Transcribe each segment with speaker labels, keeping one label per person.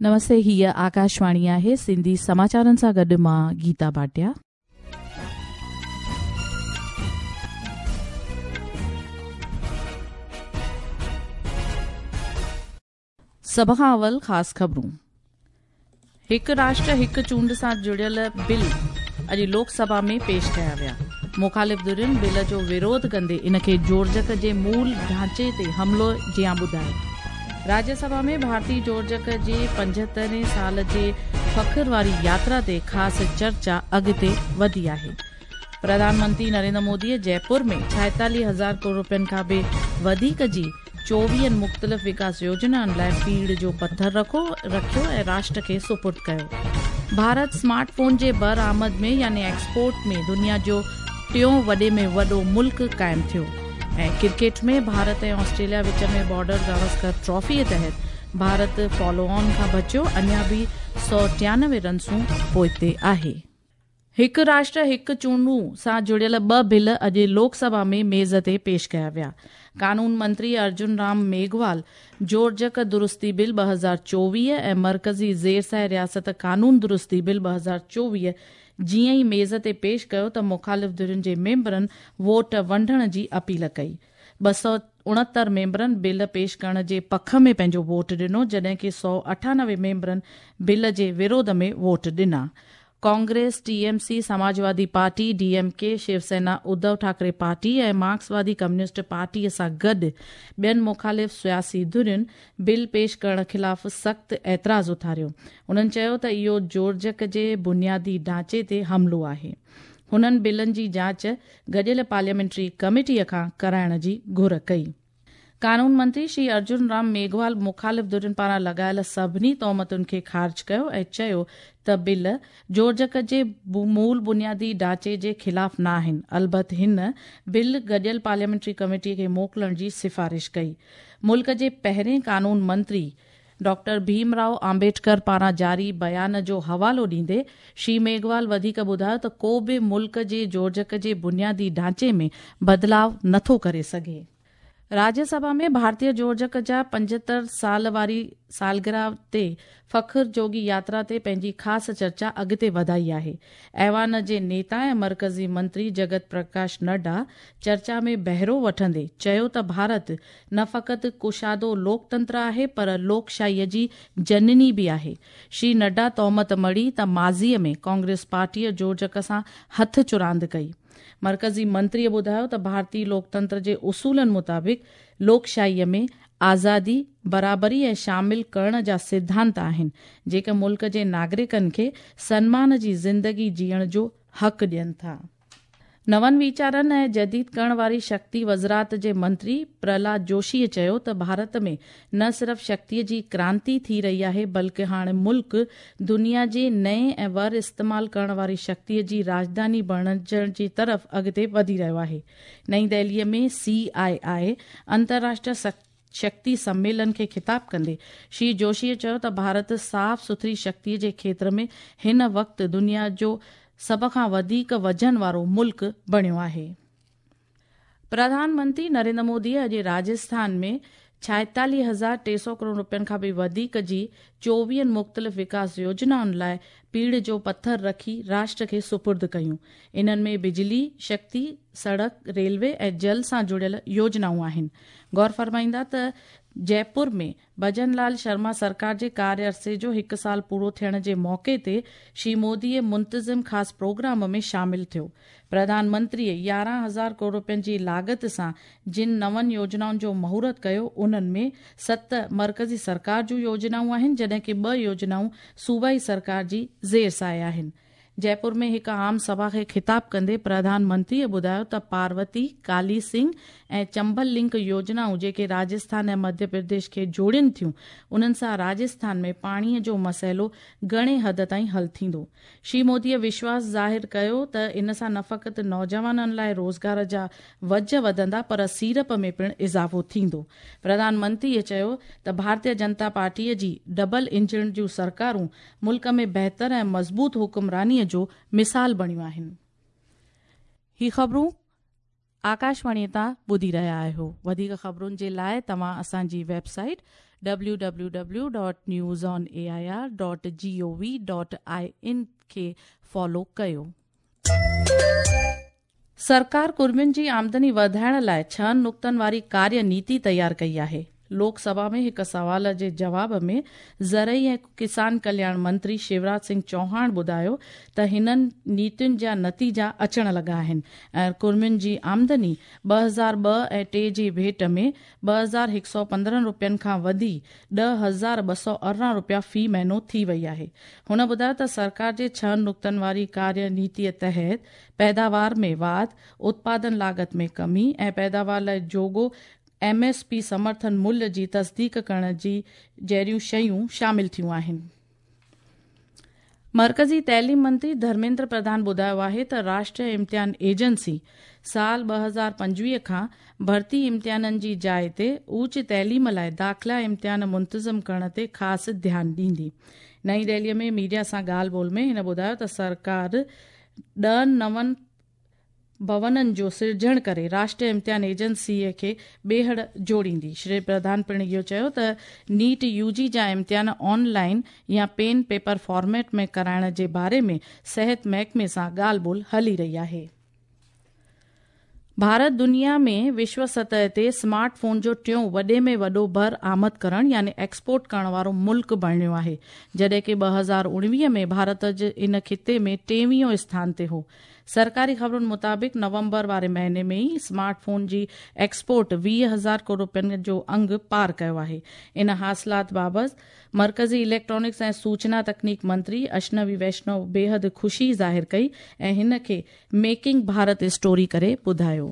Speaker 1: نمستي هيء آڪاشواڻي آهي سنڌي سماچارن سان گڏ مان گيتا ڀاٽيا. سڀ کان اول خاص خبرون. هڪ راشٽر هڪ چونڊ سان جڙيل بل اڄ لوڪ سڀا ۾ پيش ڪيا ويا. مخالف ڌرين بل جو وروڌ ڪندي ان کي جوڙجڪ جي مول ڍانچي تي حملو جيان ٻڌايو. راجيه سڀا ۾ ڀارتي جوڙجڪ جي پنجهترهين سال جي فخر واري ياترا تي خاص چرچا اڳتي وڌي آهي. پرڌان منتري نريندر موديء جئپور ۾ ڇائيتاليهه هزار ڪروڙ رپين کان به وڌيڪ جي چوويهن مختلف وڪاس يوجنائن لاء پيڙهه جو پٿر رکو رکيو ۽ راشٽر کي سپرد ڪيو. ڀارت سمارٽ فون جي برآمد ۾ يعني ايڪسپورٽ ۾ دنيا جو ٽيون وڏي ۾ وڏو ملڪ قائم ٿيو ۽ ڪرڪيٽ ۾ ڀارت ۽ آسٽريليا وچ ۾ بارڊر گواسڪر ٽرافي تحت ڀارت فالو آن کان بچيو اڃا به 193 رنسون پوئتي آهي. هڪ راشٽر هڪ چونڊون سان جڙيل ٻه بل اڄ لوڪ سڀا ۾ ميز تي پيش ڪيا ويا. قانون منتري ارجن رام ميگهوال جوڙجڪ درستي بل 2024 ۽ مرڪزي زيرسايه رياست قانون درستي بل 2024 جيئن ئي ميز تي پيش ڪيو ته مخالف ڌرين جي ميمبرن ووٽ ونڊڻ جي اپيل ڪئي. 269 ميمبرن بل پيش ڪرڻ جي پک ۾ پنهنجو ووٽ ڏنو جڏهن ڪي 198 ميمبرن بل جي وروڌ ۾ ووٽ ڏنا. Congress, T M C, Samajwadi party, D M K, Shiv Sena, Uddhav Thackeray party ۽ مارڪسوادي communist پارٽيء سان گڏ ٻين مخالف سياسي ڌرين بل پيش ڪرڻ خلاف سخت اعتراض اٿاريو. هنن چيو ته اهو جوڙجڪ جي بنيادي ڍانچي تي حملو آهي. هنن بلن جي جاچ گڏيل پارليامينٽري ڪميٽيء کان ڪرائڻ جي گهر ڪئي. قانون منتري شري ارجن رام ميگهوال مخالف ڌرين پاران لڳايل سڀني تهمتن کي خارج ڪيو ۽ چيو ته بل جوڙجڪ جي مول بنيادي ڍانچي جي خلاف نه آهن، البت هن بل گڏيل پارليامينٽري ڪميٽي کي موڪلڻ جي سفارش ڪئي. ملڪ جي پهرين قانون منتري ڊاڪٽر ڀيم رائو آمبيڊڪر پاران جاري بيان جو حوالو ڏيندي شري ميگهوال وڌيڪ ٻڌايو ته ڪو به ملڪ جي جوڙجڪ جي بنيادي ڍانچي ۾ بدلاء نٿو ڪري سگهي. راجيه سڀا ۾ ڀارتي جوڙجڪ جا 75 سال واري سالگرهه تي فخر جوڳي ياترا تي پنهنجي خاص چرچا اڳتي وڌائي آهي. ايوان جي نيتا ۽ مرڪزي منتري جگت پرڪاش نڊا چرچا ۾ بهرو وٺندي چيو ته ڀارت نه فقط ڪشادو لوڪتنتر آهي پر لوڪشاهيء جي جنني به آهي. شري نڊا تهمت مڙهي ته ماضيء ۾ ڪانگريس پارٽيء جوڙجڪ سان هٿ چراند ڪئي. مرڪزي منتريء ٻڌايو ته ڀارتي لوڪتنتر جي اصولن مطابق لوڪشاهيء ۾ آزادي، برابري ۽ شامل ڪرڻ جا سڌانت آهن، جيڪي ملڪ جي ناگرڪن کي سنمان جي زندگي جيئڻ جو حق ڏين ٿا. نون ويچارن ۽ جديد ڪرڻ واري شڪتي وزرات جي منتري پرهلاد جوشيء چيو ته ڀارت ۾ نه صرف شڪتيء جي ڪرانتي ٿي رهي آهي بلڪه هاڻي ملڪ دنيا جي نئين ۽ ور استعمال ڪرڻ واري شڪتيء جي راڄڌاني بڻجڻ جي طرف اڳتي وڌي رهيو آهي. نئين دهليء ۾ سي آء آء انترراشٽر شڪتي سميلن کي خطاب ڪندي شري جوشيء چيو ته ڀارت صاف سٿري شڪتيء جي کيتر ۾ هن وقت دنيا جو سڀ کان وڌيڪ وزن وارو ملڪ بڻيو آهي. پرڌان منتري نريندر موديء اڄ راجسٿان ۾ 46,300 ڪروڙ رپين کان به وڌيڪ جي چوويهن مختلف وڪاس يوجنائن لاء پيڙهه جو پٿر رکي راشٽر کي سپرد ڪيون. انهن ۾ بجلي، شڪتي، سڙڪ، ريلوي ۽ جل سان جڙيل يوجنائون آهن. غور فرمائيندا ته جئپور ۾ ڀجن لال شرما سرڪار جي ڪاريه عرصي جو هڪ سال پورو ٿيڻ جي موقعي تي شري موديء منتظم خاص پروگرام ۾ شامل ٿيو. پرڌان منتريء 11,000 ڪروڙ رپين جي لاڳت سان جن نون يوجنائن جو مهورت ڪيو انهن ۾ ست مرڪزي سرڪار جون يوجنائون آهن جڏهن ڪي ٻه يوجنائون صوبائي سرڪار جي زير سايه آهن. جئپور ۾ هڪ عام سڀا کي خطاب ڪندي پرڌان منتريء ٻڌايو ته پاروتي، ڪالي سنگهه ۽ چمبل لنڪ يوجنائون جيڪي راجسٿان ۽ مڌيه پرديش کي جوڙين ٿيون، انهن سان راجسٿان ۾ پاڻيء جو مسئلو گهڻي حد تائين حل ٿيندو. شري موديء وشواس ظاهر ڪيو ته ان سان نه فقط نوجوانن لاء روزگار جا وجهه وڌندا پر سيڙپ ۾ پڻ اضافو ٿيندو. پرڌان منتريء چيو ته ڀارتيه جنتا پارٽيء جي ڊبل انجڻ جون سرڪارون ملڪ ۾ بهتر ۽ مضبوط حڪمرانيء جو مثال بڻيون آهن. هي خبرون آڪاشواڻيء تان ٻڌي رهيا آهيو. وڌيڪ خبرن جي لاء توهان اسان جي ويب سائيٽ www.newsonair.gov.in کي فالو ڪيو. سرڪار ڪڙمين جي آمدني وڌائڻ لاء ڇهن نقطن واري ڪاريه نيتي تيار ڪئي آهي. لوڪ سڀا ۾ هڪ سوال جي جواب ۾ زرعي ۽ ڪسان ڪلياڻ منتري شيوراج سنگهه چوهاڻ ٻڌايو ته هنن نيتين جا نتيجا اچڻ لڳا آهن ۽ ڪڙمين جي آمدني 2002 ۽ 3 جي ڀيٽ ۾ 2115 رپين کان وڌي 10218 رپيا في مهينو ٿي وئي آهي. هن ٻڌايو ته سرڪار جي ڇهن نقطن واري ڪاريه نيتي تحت پيداوار ۾ واڌ، اتپادن لاڳت ۾ ڪمي ۽ پيداوار لاء جوڳو ايم ايس پي سمرٿن ملهه جي تصديق ڪرڻ جي جهڙيون شيون شامل ٿيون آهن. مرڪزي تعليم منتري ڌرميندر پرڌان ٻڌايو آهي ته راشٽريه امتحان ايجنسي سال 2025 کان ڀرتي امتحانن جي جاء تي اوچ تعليم لاء داخلا امتحان منتظم ڪرڻ تي خاص ڌيان ڏيندي. نئين دهلي ۾ ميڊيا سان ڳالهه ٻولهه ۾ هن ٻڌايو ته سرڪار 10 نون ڀونن جو سرجڻ ڪري راشٽريه امتحان ايجنسي کي ٻيهر جوڙيندي. شري پرڌان پڻ اهو چيو ته نيٽ يو جي جا امتحان آن لائن يا پين پيپر فارميٽ ۾ ڪرائڻ جي باري ۾ صحت محڪمي سان ڳالهه ٻولهه هلي رهي آهي. ڀارت دنيا ۾ وشو سطح تي سمارٽ فون جو ٽيون وڏي ۾ وڏو بر آمد ڪرڻ يعني ايڪسپورٽ ڪرڻ وارو ملڪ بڻيو آهي، جڏهن ڪي 2019 ۾ ڀارت ان خطي ۾ ٽيويهون اسٿان تي هو. سرڪاري خبرن مطابق نومبر واري مهيني ۾ ئي سمارٽ فون جي ايڪسپورٽ 20 هزار ڪروڙ رپين جو انگ پار ڪيو آهي. ان حاصلات بابت مرڪزي اليڪٽرانڪس ۽ سوچنا تڪنيڪ منتري اشنوي ويشنو بيحد خوشي ظاهر ڪئي ۽ هن کي ميڪنگ ڀارت اسٽوري ڪري ٻڌايو.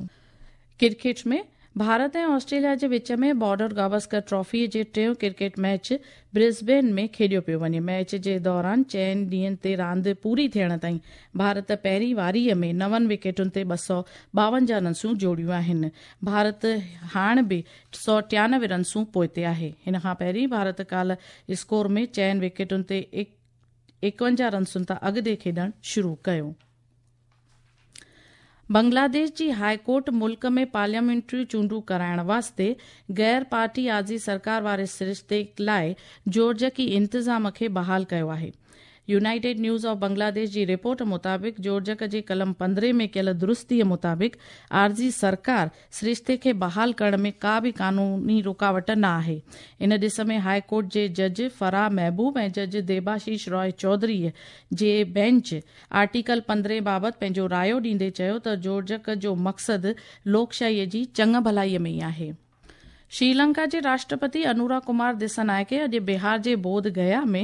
Speaker 1: ڪرڪيٽ ۾ ڀارت ۽ آسٽريليا جي وچ ۾ بارڊر گاوسڪر ٽرافي جي ٽيون ڪرڪيٽ ميچ برسبين ۾ کيڏيو پيو وڃي. ميچ جي دوران چئن ڏينهن تي راند پوري ٿيڻ تائين ڀارت پهرين واري ۾ نون وڪيٽن تي 252 رنسون جوڙيون آهن. ڀارت هاڻ به 193 رنسون پوئتي آهي. هن کان پهرين ڀارت ڪالهه اسڪور ۾ چئن وڪيٽن تي 51 رنسن تان اڳتي کيڏڻ شروع ڪيو. بنگلاديش جي هاء ڪورٽ ملڪ ۾ پارليامينٽري چونڊون ڪرائڻ واسطي غير پارٽي عارضي سرڪار واري سرشتي لاء جوڙجڪي انتظام کي بحال ڪيو آهي. يونائيٽيڊ نيوز آف بنگلاديش جي رپورٽ مطابق جوڙجڪ جي قلم 15 ۾ ڪيل درستي مطابق عارضي سرڪار سرشتي کي بحال ڪرڻ ۾ ڪا به قانوني رڪاوٽ نه آهي. ان ڏس ۾ هاء ڪورٽ جي جج فرح محبوب ۽ جج ديباشيش راء چوڌري جي بينچ آرٽيڪل 15 بابت پنهنجو رايو ڏيندي چيو ته جوڙجڪ جو مقصد لوڪشاهي جي چڱ ڀلائي ۾ ئي آهي. شري لنڪا جي راشٽرپتي انورا ڪمار دسنائڪي اڄ بهار جي بوڌ گيا ۾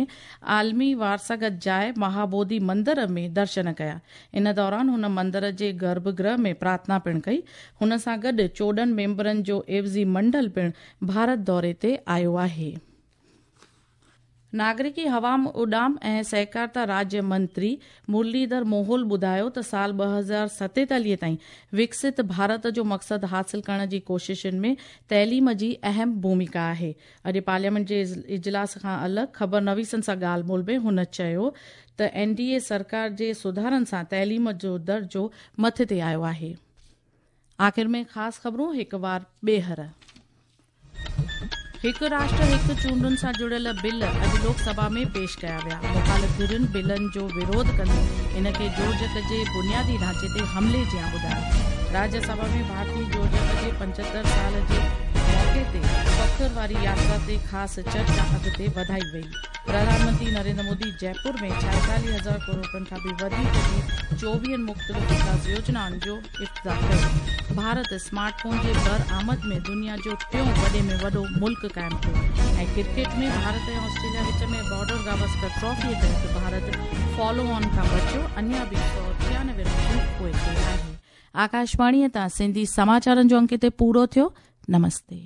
Speaker 1: عالمي وارثاگت جاء مهابوڌي مندر ۾ درشن ڪيا. ان دوران هن مندر جي گرڀ گرهه ۾ پرارٿنا پڻ ڪئي. هن سان گڏ 14 ميمبرن جو عيوضي منڊل پڻ ڀارت دوري تي آيو آهي. ناگرڪي هوام اڏام ۽ سهڪارتا راجيه منتري مرليڌر موهول ٻڌايو ته سال 2047 تائين وڪست ڀارت جو مقصد حاصل ڪرڻ جي ڪوششن ۾ تعليم جي اهم ڀوميڪا آهي. اڄ پارليامينٽ جي اجلاس کان الڳ خبر نويسن سان ڳالهه ٻولهه ۾ هن چيو ته اين ڊي اي سرڪار جي سڌارن سان تعليم جو درجو مٿي تي آيو آهي. آخر ۾ خاص خبرون هڪ وار ٻيهر. هڪ راشٽر هڪ چونڊن سان جڙيل بل اڄ لوڪ سڀا ۾ پيش ڪيا ويا. مخالف ڌرين بلن جو وروڌ ڪندي ان کي جوڙجڪ جي بنيادي ڍانچي تي حملي جيان ٻڌايو. راجيه سڀا ۾ ڀارتي جوڙجڪ جي 75 سال جي موقعي تي فخر واري ياترا تي خاص چرچا اڳتي وڌائي وئي. پرڌان منتري نريندر مودي جئپور ۾ 46 هزار ڪروڙ رپين کان به وڌيڪ جي 24 مختلف وڪاس يوجنائن جو افتتاح ڪيو. ڀارت سمارٽ فون جي برآمد ۾ دنيا جو ٽيون وڏي ۾ وڏو ملڪ قائم ٿيو ۽ ڪرڪيٽ ۾ ڀارت ۽ آسٽريليا وچ ۾ بارڊر گاوسڪر ٽرافي تحت ڀارت فالو آن کان بچيو اڃا به 196 رنسون پوئتي آهي. آڪاشواڻي تان سنڌي سماچارن جو انڪ هتي پورو ٿيو. نمستي.